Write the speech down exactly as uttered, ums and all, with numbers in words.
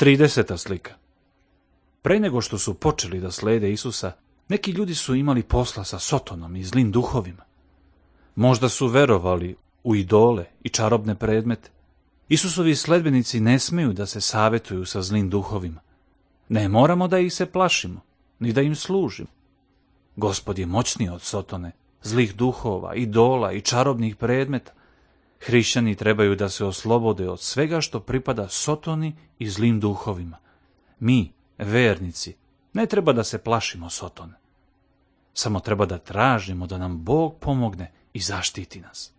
trideseta slika. Pre nego što su počeli da slede Isusa, neki ljudi su imali posla sa Sotonom i zlim duhovima. Možda su verovali u idole i čarobne predmete. Isusovi sledbenici ne smeju da se savetuju sa zlim duhovima. Ne moramo da ih se plašimo, ni da im služimo. Gospod je moćniji od Sotone, zlih duhova, idola i čarobnih predmeta. Hrišćani trebaju da se oslobode od svega što pripada Sotoni i zlim duhovima. Mi, vernici, ne treba da se plašimo Sotone. Samo treba da tražimo da nam Bog pomogne i zaštiti nas.